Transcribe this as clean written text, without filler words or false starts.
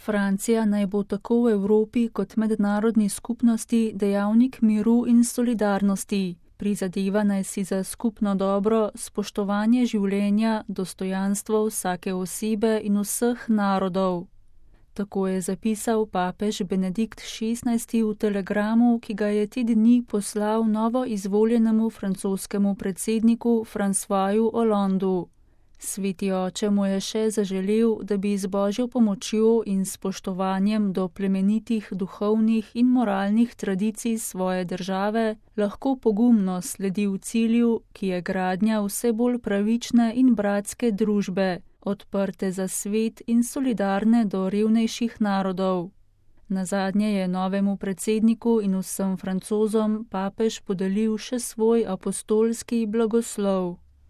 Francija naj bo tako v Evropi kot mednarodni skupnosti dejavnik miru in solidarnosti. Prizadeva naj si za skupno dobro, spoštovanje življenja, dostojanstvo vsake osebe in vseh narodov. Tako je zapisal papež Benedikt XVI v telegramu, ki ga je te dni poslal novo izvoljenemu francoskemu predsedniku Françoisu Hollandu. Sveti oče mu je še zaželel, da bi z Božjo pomočjo in spoštovanjem do plemenitih duhovnih in moralnih tradicij svoje države lahko pogumno sledil cilju, ki je gradnja vse bolj pravične in bratske družbe, odprte za svet in solidarne do revnejših narodov. Nazadnje je novemu predsedniku in vsem Francozom papež podelil še svoj apostolski blagoslov.